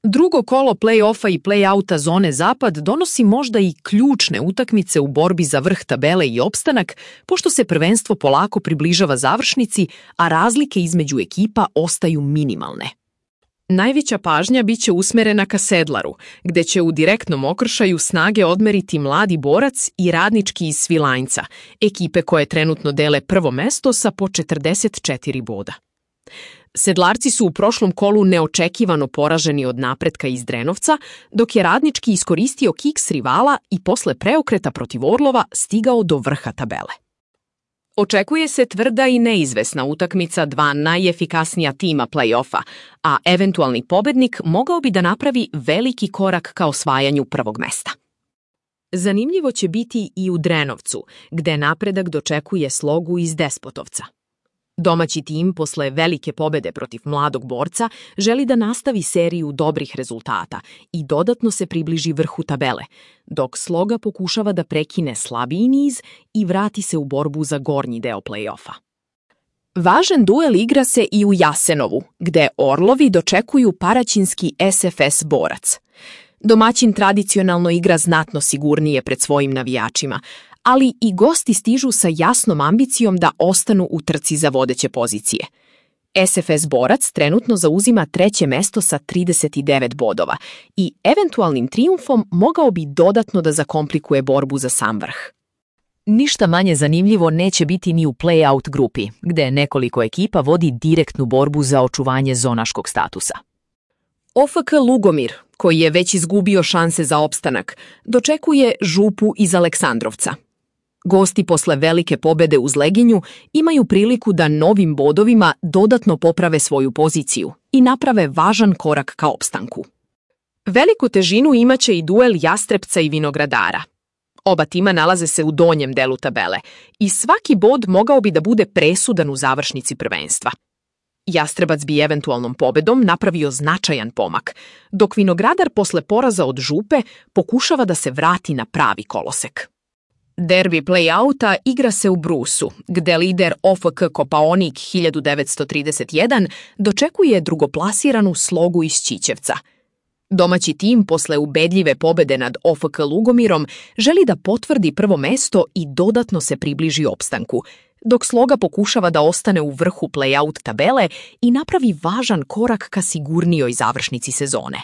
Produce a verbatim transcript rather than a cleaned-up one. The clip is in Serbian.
Drugo kolo play-offa i play-outa zone Zapad donosi možda i ključne utakmice u borbi za vrh tabele i opstanak, pošto se prvenstvo polako približava završnici, a razlike između ekipa ostaju minimalne. Najveća pažnja biće usmerena ka Sedlaru, gde će u direktnom okršaju snage odmeriti Mladi borac i Radnički iz Svilajnca, ekipe koje trenutno dele prvo mesto sa po četrdeset četiri boda. Sedlarci su u prošlom kolu neočekivano poraženi od napretka iz Drenovca, dok je Radnički iskoristio kiks rivala i posle preokreta protiv Orlova stigao do vrha tabele. Očekuje se tvrda i neizvesna utakmica dva najefikasnija tima play-offa, a eventualni pobednik mogao bi da napravi veliki korak ka osvajanju prvog mesta. Zanimljivo će biti i u Drenovcu, gde napredak dočekuje Slogu iz Despotovca. Domaći tim posle velike pobede protiv Mladog borca želi da nastavi seriju dobrih rezultata i dodatno se približi vrhu tabele, dok Sloga pokušava da prekine slabiji niz i vrati se u borbu za gornji deo play-offa. Važan duel igra se i u Jasenovu, gde Orlovi dočekuju paraćinski S F S Borac. Domaćin tradicionalno igra znatno sigurnije pred svojim navijačima, ali i gosti stižu sa jasnom ambicijom da ostanu u trci za vodeće pozicije. S F S Borac trenutno zauzima treće mesto sa trideset devet bodova i eventualnim trijumfom mogao bi dodatno da zakomplikuje borbu za sam vrh. Ništa manje zanimljivo neće biti ni u play-out grupi, gde nekoliko ekipa vodi direktnu borbu za očuvanje zonaškog statusa. O F K Lugomir, koji je već izgubio šanse za opstanak, dočekuje Župu iz Aleksandrovca. Gosti posle velike pobede uz Leginju imaju priliku da novim bodovima dodatno poprave svoju poziciju i naprave važan korak ka opstanku. Veliku težinu imaće i duel Jastrebca i Vinogradara. Oba tima nalaze se u donjem delu tabele i svaki bod mogao bi da bude presudan u završnici prvenstva. Jastrebac bi eventualnom pobedom napravio značajan pomak, dok Vinogradar posle poraza od Župe pokušava da se vrati na pravi kolosek. Derbi play-outa igra se u Brusu, gde lider O F K Kopaonik hiljadu devetsto trideset jedan dočekuje drugoplasiranu Slogu iz Ćićevca. Domaći tim posle ubedljive pobede nad O F K Lugomirom želi da potvrdi prvo mesto i dodatno se približi opstanku, dok Sloga pokušava da ostane u vrhu play-out tabele i napravi važan korak ka sigurnijoj završnici sezone.